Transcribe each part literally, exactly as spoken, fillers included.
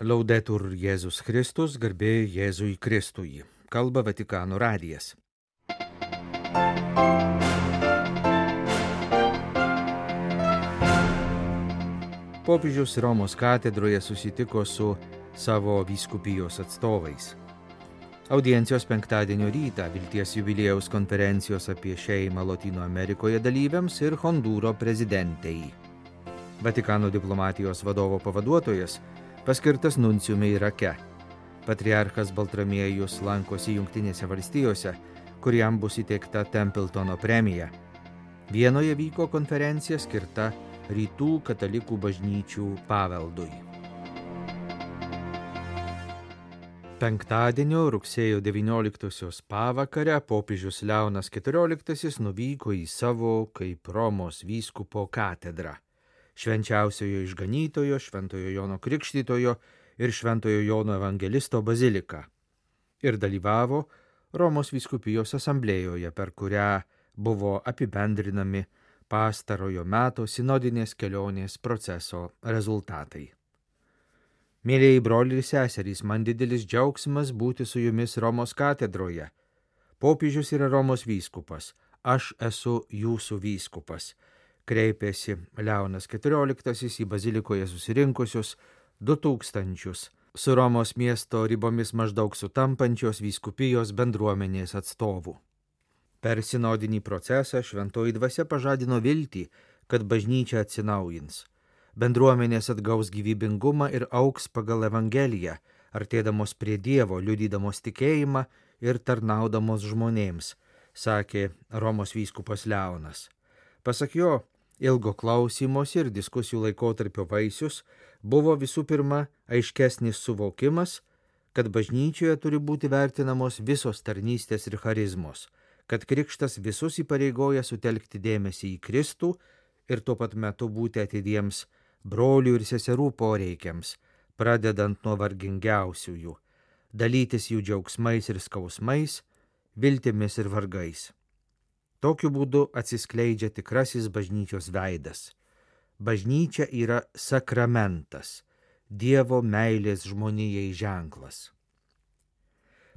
Laudetur Jėzus Kristus, garbė Jėzui Kristui. Kalba Vatikano radijas. Popiežius Romos katedroje susitiko su savo vyskupijos atstovais. Audiencijos penktadienio rytą Vilties jubiliejaus konferencijos apie šeimą Lotynų Amerikoje dalyviams ir Hondūro prezidentei. Vatikano diplomatijos vadovo pavaduotojas paskirtas nunciumi Irake. Patriarchas Baltramiejus lankosi Jungtinėse valstijose, kuriam bus įteikta Templetono premija. Vienoje vyko konferencija skirta rytų katalikų bažnyčių paveldui. Penktadienio rugsėjo devynioliktosios pavakarę popiežius Leonas keturioliktasis nuvyko į savo kaip Romos vyskupo katedrą. Švenčiausiojo išganytojo, Šventojo Jono Krikštytojo ir Šventojo Jono Evangelisto baziliką ir dalyvavo Romos vyskupijos asamblėjoje, per kurią buvo apibendrinami pastarojo meto sinodinės kelionės proceso rezultatai. Mėlieji broliai ir seserys, man didelis džiaugsmas būti su jumis Romos katedroje. Popiežius yra Romos vyskupas, aš esu jūsų vyskupas. Kreipėsi Leonas keturioliktasis į bazilikoje susirinkusius du tūkstančius su Romos miesto ribomis maždaug sutampančios vyskupijos bendruomenės atstovų. Per sinodinį procesą šventoji dvasia pažadino viltį, kad bažnyčia atsinaujins. Bendruomenės atgaus gyvybingumą ir augs pagal Evangeliją, artėdamos prie Dievo, liudydamos tikėjimą ir tarnaudamos žmonėms, sakė Romos vyskupas Leonas. Pasak jo, ilgo klausymosi ir diskusijų laikotarpio vaisius buvo visų pirma aiškesnis suvokimas, kad bažnyčioje turi būti vertinamos visos tarnystės ir charizmos, kad krikštas visus įpareigoja sutelkti dėmesį į Kristų ir tuo pat metu būti atidiems brolių ir seserų poreikiams, pradedant nuo vargingiausiųjų, dalytis jų džiaugsmais ir skausmais, viltimis ir vargais. Tokiu būdu atsiskleidžia tikrasis bažnyčios veidas. Bažnyčia yra sakramentas, Dievo meilės žmonijai ženklas.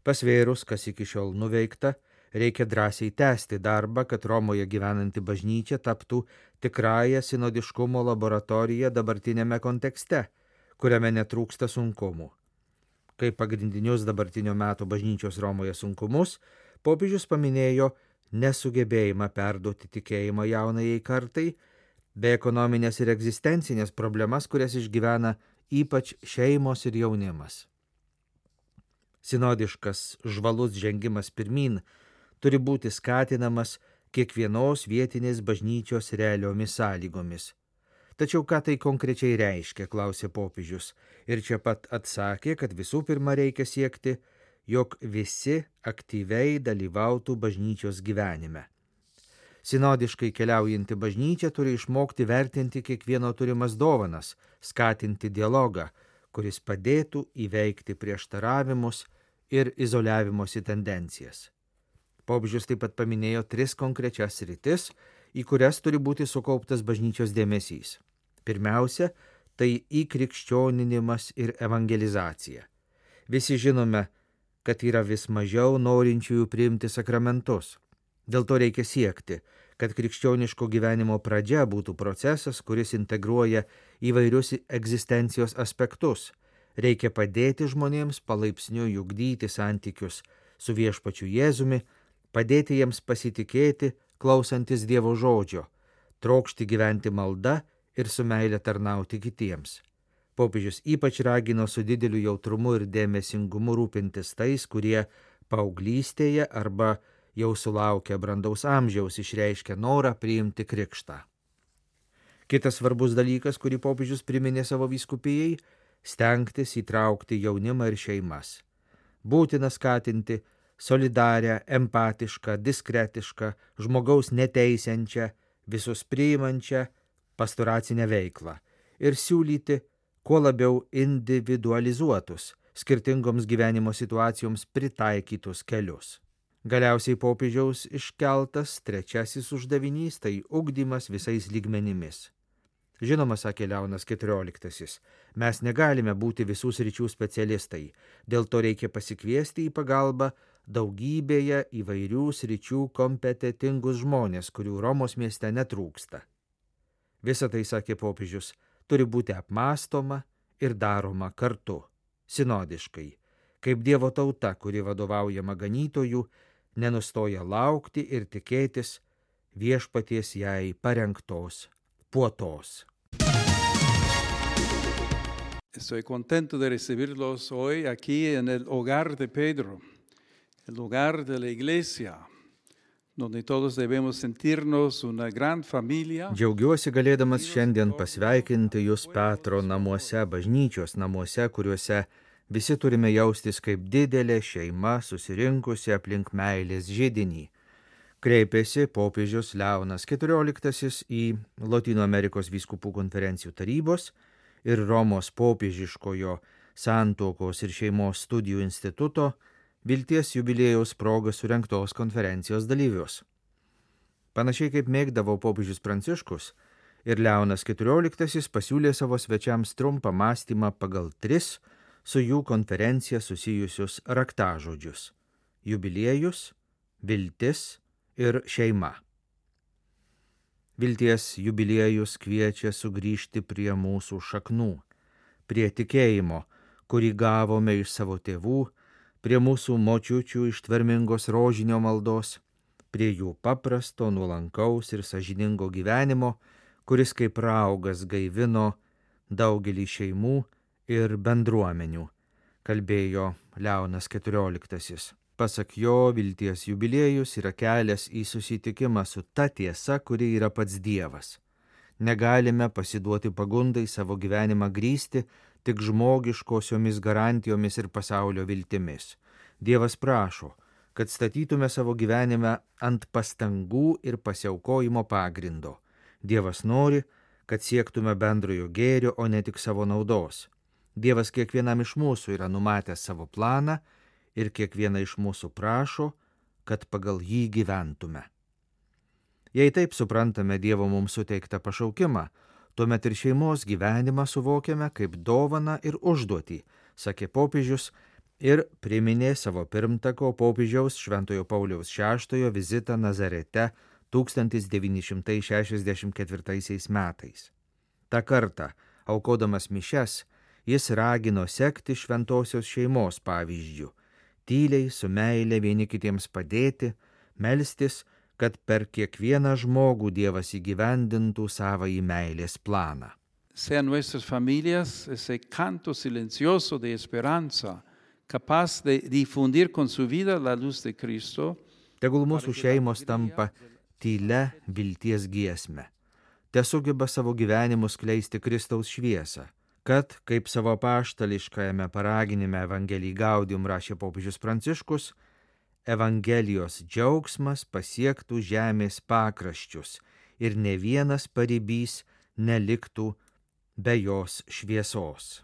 Pasvėrus, kas iki šiol nuveikta, reikia drąsiai tęsti darbą, kad Romoje gyvenanti bažnyčia taptų tikrąją sinodiškumo laboratoriją dabartinėme kontekste, kuriame netrūksta sunkumų. Kaip pagrindinius dabartinio meto bažnyčios Romoje sunkumus, popiežius paminėjo nesugebėjimą perduoti tikėjimą jaunajai kartai, bei ekonominės ir egzistencinės problemas, kurias išgyvena ypač šeimos ir jaunimas. Sinodiškas žvalus žengimas pirmyn turi būti skatinamas kiekvienos vietinės bažnyčios realiomis sąlygomis. Tačiau ką tai konkrečiai reiškia, klausė popiežius, ir čia pat atsakė, kad visų pirma reikia siekti, jog visi aktyviai dalyvautų bažnyčios gyvenime. Sinodiškai keliaujanti bažnyčia turi išmokti vertinti kiekvieno turimas dovanas, skatinti dialogą, kuris padėtų įveikti prieštaravimus ir izoliavimosi tendencijas. Popiežius taip pat paminėjo tris konkrečias sritis, į kurias turi būti sukauptas bažnyčios dėmesys. Pirmiausia, tai įkrikščioninimas ir evangelizacija. Visi žinome, kad yra vis mažiau norinčiųjų priimti sakramentus. Dėl to reikia siekti, kad krikščioniško gyvenimo pradžia būtų procesas, kuris integruoja įvairius egzistencijos aspektus. Reikia padėti žmonėms palaipsniui ugdyti santykius su viešpačiu Jėzumi, padėti jiems pasitikėti, klausantis Dievo žodžio, trokšti gyventi malda ir su meile tarnauti kitiems. Popiežius ypač ragino su dideliu jautrumu ir dėmesingumu rūpintis tais, kurie paauglystėje arba jau sulaukę brandaus amžiaus išreiškia norą priimti krikštą. Kitas svarbus dalykas, kurį popiežius priminė savo vyskupijai, stengtis įtraukti jaunimą ir šeimas. Būtina skatinti solidarią, empatišką, diskretišką, žmogaus neteisiančią, visus priimančią pastoracinę veiklą ir siūlyti kuo labiau individualizuotus, skirtingoms gyvenimo situacijoms pritaikytus kelius. Galiausiai popiežiaus iškeltas trečiasis uždavinys – tai ugdymas visais lygmenimis. Žinoma, sakė Leonas keturioliktasis, mes negalime būti visų sričių specialistai, dėl to reikia pasikviesti į pagalbą daugybėje įvairių sričių kompetentingus žmonės, kurių Romos mieste netrūksta. Visa tai, sakė popiežius, turi būti apmąstoma ir daroma kartu, sinodiškai, kaip Dievo tauta, kuri vadovaujama ganytojų, nenustoja laukti ir tikėtis viešpaties jai parengtos puotos. Estoy contento de recibirlos hoy aquí en el hogar de Pedro, el hogar de la iglesia, donde todos debemos sentirnos una gran familia. Džiaugiuosi galėdamas šiandien pasveikinti jūs Petro namuose, bažnyčios namuose, kuriuose visi turime jaustis kaip didelė šeima susirinkusi aplink meilės židinį. Kreipėsi popiežius Leonas keturioliktasis į Lotynų Amerikos vyskupų konferencijų tarybos ir Romos popiežiškojo santuokos ir šeimos studijų instituto Vilties jubiliejaus proga surengtos konferencijos dalyvius. Panašiai kaip mėgdavo popiežius Pranciškus, ir Leonas keturioliktasis pasiūlė savo svečiams trumpą mąstymą pagal tris su jų konferencija susijusius raktažodžius – jubiliejus, viltis ir šeima. Vilties jubiliejus kviečia sugrįžti prie mūsų šaknų, prie tikėjimo, kurį gavome iš savo tėvų, prie mūsų močiučių ištvermingos rožinio maldos, prie jų paprasto, nuolankaus ir sąžiningo gyvenimo, kuris kaip raugas gaivino daugelį šeimų ir bendruomenių, kalbėjo Leonas keturioliktasis. Pasak jo, vilties jubiliejus yra kelias į susitikimą su ta tiesa, kuri yra pats Dievas. Negalime pasiduoti pagundai savo gyvenimą grįsti tik žmogiškosiomis garantijomis ir pasaulio viltimis. Dievas prašo, kad statytume savo gyvenimą ant pastangų ir pasiaukojimo pagrindo. Dievas nori, kad siektume bendrojo gėrio, o ne tik savo naudos. Dievas kiekvienam iš mūsų yra numatęs savo planą ir kiekvieną iš mūsų prašo, kad pagal jį gyventume. Jei taip suprantame Dievo mums suteiktą pašaukimą, tuomet ir šeimos gyvenimą suvokiame kaip dovaną ir užduotį, sakė popiežius ir priminė savo pirmtako popiežiaus Šventojo Pauliaus šeštojo vizitą Nazarete tūkstantis devyni šimtai šešiasdešimt ketvirtaisiais metais. Ta kartą, aukodamas mišias, jis ragino sekti šventosios šeimos pavyzdžiu, tyliai su meile vieni kitiems padėti, melstis, kad per kiekvieną žmogų Dievas įgyvendintų savąjį meilės planą. Sean nuestras familias ese canto silencioso de esperanza, capaz de difundir con su vida la luz de Cristo. Tegul mūsų šeimos tampa tylia vilties giesme. Tesugeba savo gyvenimu skleisti Kristaus šviesą, kad, kaip savo apaštališkajame paraginime Evangelijai Gaudium rašė popiežius Pranciškus, Evangelijos džiaugsmas pasiektų žemės pakraščius ir ne vienas paribys neliktų be jos šviesos.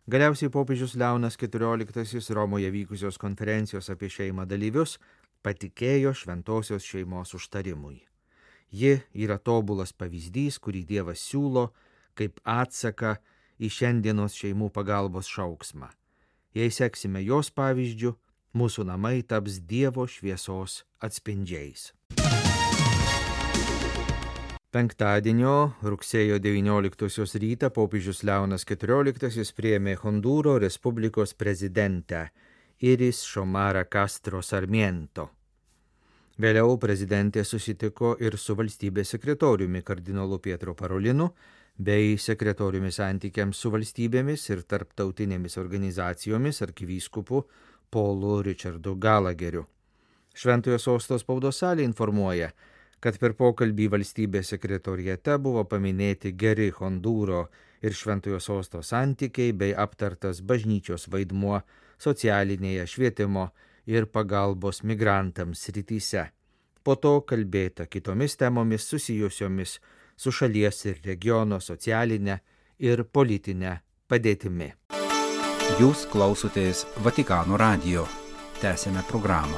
Galiausiai popiežius Leonas keturioliktasis Romoje vykusios konferencijos apie šeimą dalyvius patikėjo šventosios šeimos užtarimui. Ji yra tobulas pavyzdys, kurį Dievas siūlo kaip atsaką į šiandienos šeimų pagalbos šauksmą. Jei seksime jos pavyzdžiu, mūsų namai taps Dievo šviesos atspindžiais. Penktadienio, rugsėjo devynioliktosios rytą popiežius Leonas keturioliktasis priėmė Hondūro Respublikos prezidentę Iris Xomara Castro Sarmiento. Vėliau prezidentė susitiko ir su valstybės sekretoriumi kardinolu Pietro Parolinu bei sekretoriumi santykiams su valstybėmis ir tarptautinėmis organizacijomis arkivyskupu Paulu Richardu Galageriu. Šventojo sosto spaudos salė informuoja, kad per pokalbį valstybės sekretoriate buvo paminėti geri Hondūro ir Šventojo sosto santykiai bei aptartas bažnyčios vaidmuo socialinėje, švietimo ir pagalbos migrantams srityse. Po to kalbėta kitomis temomis susijusiomis su šalies ir regiono socialinė ir politinė padėtimi. Jūs klausotės Vatikano radijo. Tęsėme programą.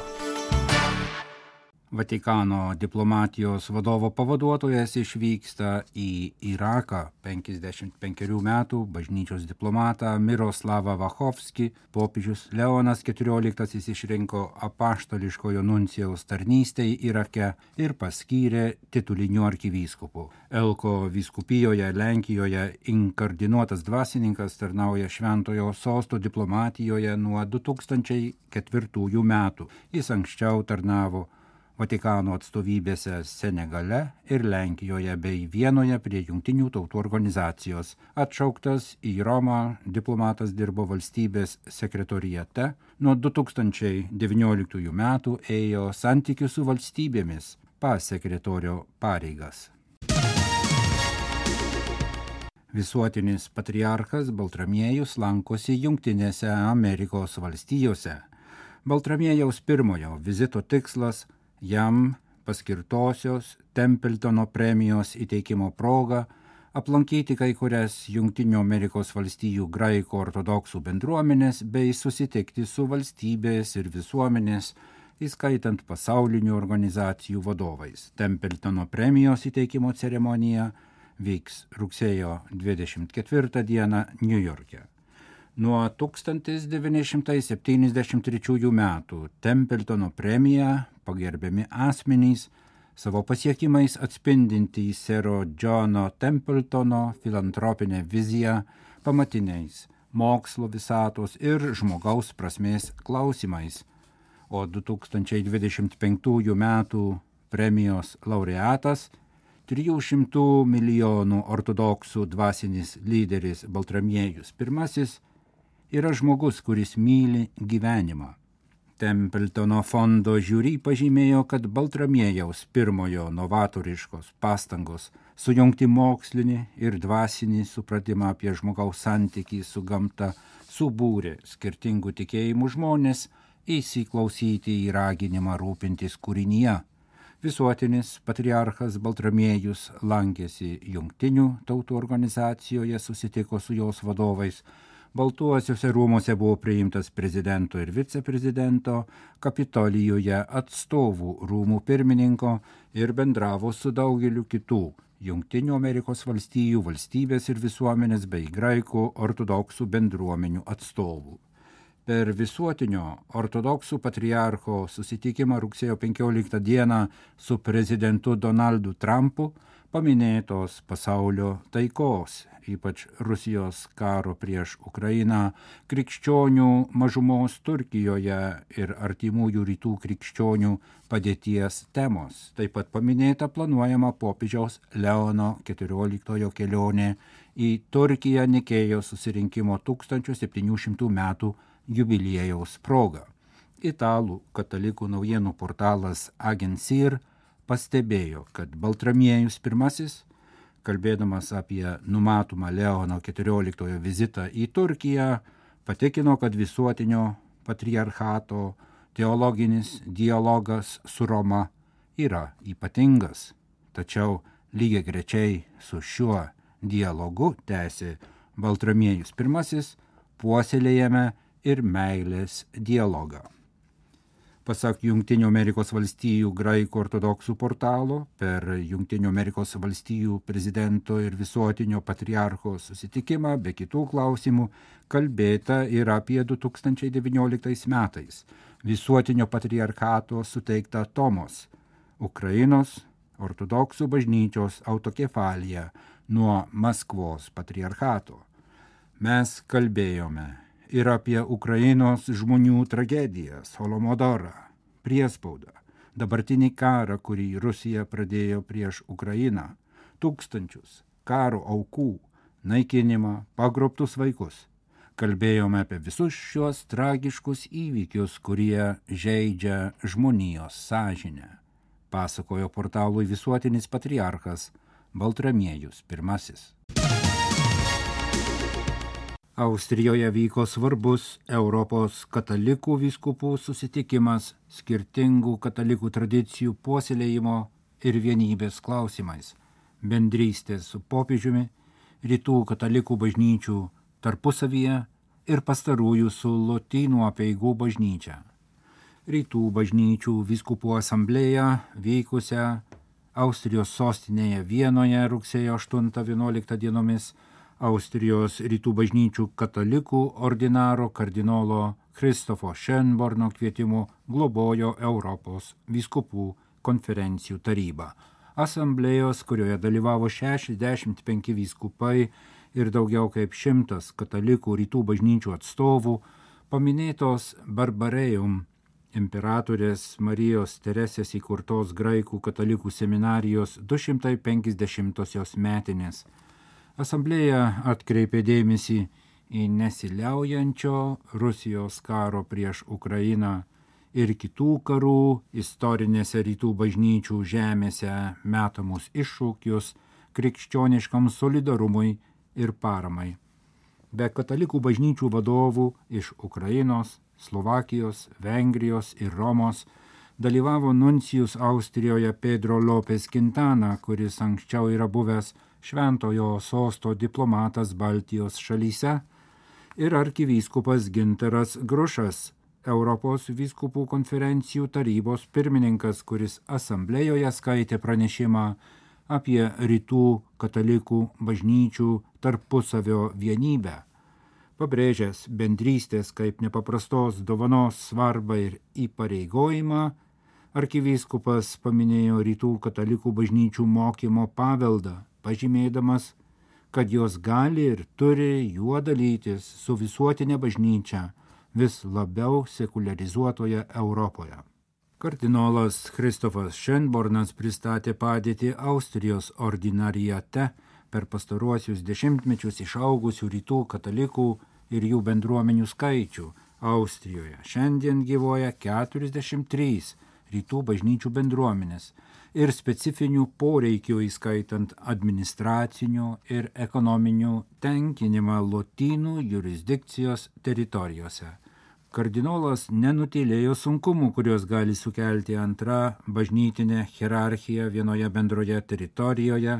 Vatikano diplomatijos vadovo pavaduotojas išvyksta į Iraką. penkiasdešimt penkerių metų bažnyčios diplomatą Miroslavą Vachovskį popiežius Leonas keturioliktasis išrinko apaštališkojo nuncijaus tarnystei Irake ir paskyrė tituliniu arkivyskupu. Elko vyskupijoje Lenkijoje inkardinuotas dvasininkas tarnauja Šventojo sosto diplomatijoje nuo du tūkstančiai ketvirtųjų metų. Jis anksčiau tarnavo Vatikano atstovybėse Senegale ir Lenkijoje bei Vienoje prie Jungtinių tautų organizacijos. Atšauktas į Romą, diplomatas dirbo valstybės sekretoriate. Nuo du tūkstančiai devynioliktųjų metų ėjo santykių su valstybėmis pasekretorio pareigas. Visuotinis patriarchas Baltramiejus lankosi Jungtinėse Amerikos valstijose. Baltramiejaus pirmojo vizito tikslas jam paskirtosios Templetono premijos įteikimo proga aplankyti kai kurias Jungtinių Amerikos valstijų graikų ortodoksų bendruomenės bei susitikti su valstybės ir visuomenės, įskaitant pasaulinių organizacijų vadovais. Templetono premijos įteikimo ceremonija vyks rugsėjo dvidešimt ketvirtą dieną Niujorke. Nuo tūkstantis devyni šimtai septyniasdešimt trečiųjų metų Templetono premija pagerbiami asmenys, savo pasiekimais atspindintys sero Johno Templetono filantropinę viziją pamatiniais mokslo, visatos ir žmogaus prasmės klausimais, o du tūkstančiai dvidešimt penktųjų metų premijos laureatas trijų šimtų milijonų ortodoksų dvasinis lyderis Baltramiejus pirmasis yra žmogus, kuris myli gyvenimą. Templetono fondo žiūri pažymėjo, kad Baltramiejaus pirmojo novatoriškos pastangos sujungti mokslinį ir dvasinį supratimą apie žmogaus santykį su gamta subūrė skirtingų tikėjimų žmonės įsiklausyti į raginimą rūpintis kūrinyje. Visuotinis patriarchas Baltramiejus lankėsi Jungtinių tautų organizacijoje, susitiko su jos vadovais. Baltuosiuose rūmuose buvo priimtas prezidento ir viceprezidento, Kapitolijoje atstovų rūmų pirmininko ir bendravo su daugeliu kitų Jungtinių Amerikos valstijų valstybės ir visuomenės bei graikų ortodoksų bendruomenių atstovų. Per visuotinio ortodoksų patriarcho susitikimą rugsėjo penkioliktą dieną su prezidentu Donaldu Trumpu paminėtos pasaulio taikos, ypač Rusijos karo prieš Ukrainą, krikščionių mažumos Turkijoje ir artimųjų rytų krikščionių padėties temos. Taip pat paminėta planuojama popiežiaus Leono keturioliktojo kelionė į Turkiją Nikėjos susirinkimo tūkstantis septyni šimtai metų jubiliejaus proga. Italų katalikų naujienų portalas Agensir pastebėjo, kad Baltramiejus pirmasis, kalbėdamas apie numatomą Leono keturioliktojo vizitą į Turkiją, patikino, kad visuotinio patriarchato teologinis dialogas su Roma yra ypatingas. Tačiau lygiagrečiai su šiuo dialogu, tęsė Baltramiejus pirmasis, puoselėjame ir meilės dialogą. Pasak Jungtinių Amerikos valstijų graikų ortodoksų portalo, per Jungtinių Amerikos valstijų prezidento ir visuotinio patriarcho susitikimą be kitų klausimų kalbėta ir apie du tūkstančiai devynioliktais metais visuotinio patriarchato suteiktą Tomos, Ukrainos ortodoksų bažnyčios autokefaliją nuo Maskvos patriarchato. Mes kalbėjome ir apie Ukrainos žmonių tragedijas, Holodomorą, priespaudą, dabartinį karą, kurį Rusija pradėjo prieš Ukrainą, tūkstančius karo aukų, naikinimą, pagrobtus vaikus. Kalbėjome apie visus šios tragiškus įvykius, kurie žeidžia žmonijos sąžinę, pasakojo portalui visuotinis patriarchas Baltramiejus pirmasis. Austrijoje vyko svarbus Europos katalikų vyskupų susitikimas skirtingų katalikų tradicijų puoselėjimo ir vienybės klausimais, bendrystės su popiežiumi, rytų katalikų bažnyčių tarpusavyje ir pastarųjų su lotynų apeigų bažnyčia. rytų bažnyčių vyskupų asamblėją vykusią Austrijos sostinėje Vienoje rugsėjo aštuntą vienuoliktą dienomis, Austrijos rytų bažnyčių katalikų ordinaro kardinolo Kristofo Schönborno kvietimu globojo Europos vyskupų konferencijų taryba. Asamblėjos, kurioje dalyvavo šešiasdešimt penki vyskupai ir daugiau kaip šimtas katalikų rytų bažnyčių atstovų, paminėtos Barbarejum imperatorės Marijos Teresės įkurtos graikų katalikų seminarijos du šimtai penkiasdešimtosios metinės. Asamblėja atkreipė dėmesį į nesiliaujančio Rusijos karo prieš Ukrainą ir kitų karų istorinėse rytų bažnyčių žemėse metamus iššūkius krikščioniškam solidarumui ir paramai. Be katalikų bažnyčių vadovų iš Ukrainos, Slovakijos, Vengrijos ir Romos dalyvavo nuncijus Austrijoje Pedro Lopez Quintana, kuris anksčiau yra buvęs šventojo sosto diplomatas Baltijos šalyse, ir arkivyskupas Gintaras Grušas, Europos vyskupų konferencijų tarybos pirmininkas, kuris asamblėjoje skaitė pranešimą apie rytų katalikų bažnyčių tarpusavio vienybę, pabrėžęs bendrystės kaip nepaprastos dovanos svarbą ir įpareigojimą. Arkivyskupas paminėjo rytų katalikų bažnyčių mokymo paveldą, pažymėdamas, kad jos gali ir turi juo dalytis su visuotinė bažnyčia vis labiau sekularizuotoje Europoje. Kardinolas Kristofas Schönbornas pristatė padėtį Austrijos ordinariate per pastaruosius dešimtmečius išaugusių rytų katalikų ir jų bendruomenių skaičių. Austrijoje šiandien gyvoja keturiasdešimt trys rytų bažnyčių bendruomenės ir specifinių poreikių, įskaitant administracinių ir ekonominių tenkinimą lotynų jurisdikcijos teritorijose. Kardinolas nenutylėjo sunkumų, kurios gali sukelti antra bažnytinė hierarchija vienoje bendroje teritorijoje,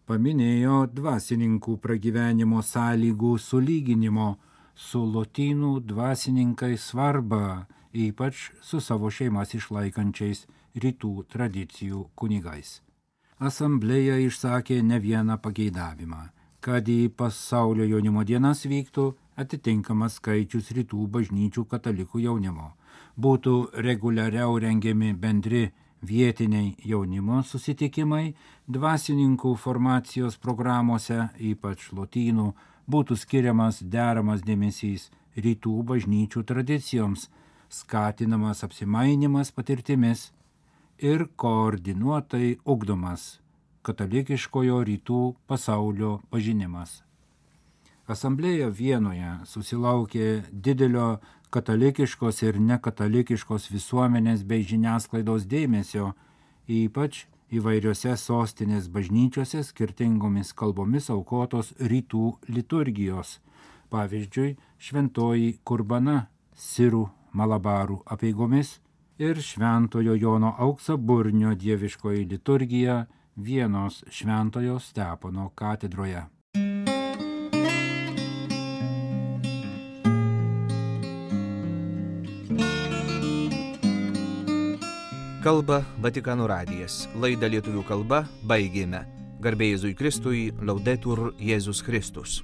paminėjo dvasininkų pragyvenimo sąlygų sulyginimo su lotynų dvasininkai svarbą, ypač su savo šeimas išlaikančiais rytų tradicijų kunigais. Asamblėja išsakė ne vieną pageidavimą, kad į pasaulio jaunimo dienas vyktų atitinkamas skaičius rytų bažnyčių katalikų jaunimo, būtų reguliariau rengiami bendri vietiniai jaunimo susitikimai, dvasininkų formacijos programuose, ypač lotynų, būtų skiriamas deramas dėmesys rytų bažnyčių tradicijoms, skatinamas apsimainimas patirtimis ir koordinuotai ugdomas katalikiškojo rytų pasaulio pažinimas. Asamblėja Vienoje susilaukė didelio katalikiškos ir nekatalikiškos visuomenės bei žiniasklaidos dėmesio, ypač įvairiose sostinės bažnyčiose skirtingomis kalbomis aukotos rytų liturgijos, pavyzdžiui, šventoji kurbana sirų malabarų apeigomis ir šventojo Jono Auksaburnio dieviškoji liturgija Vienos šventojo Stepono katedroje. Kalba Vatikano radijas. Laidą lietuvių kalba baigėme. Garbė Jėzui Kristui, Laudetur Jėzus Kristus.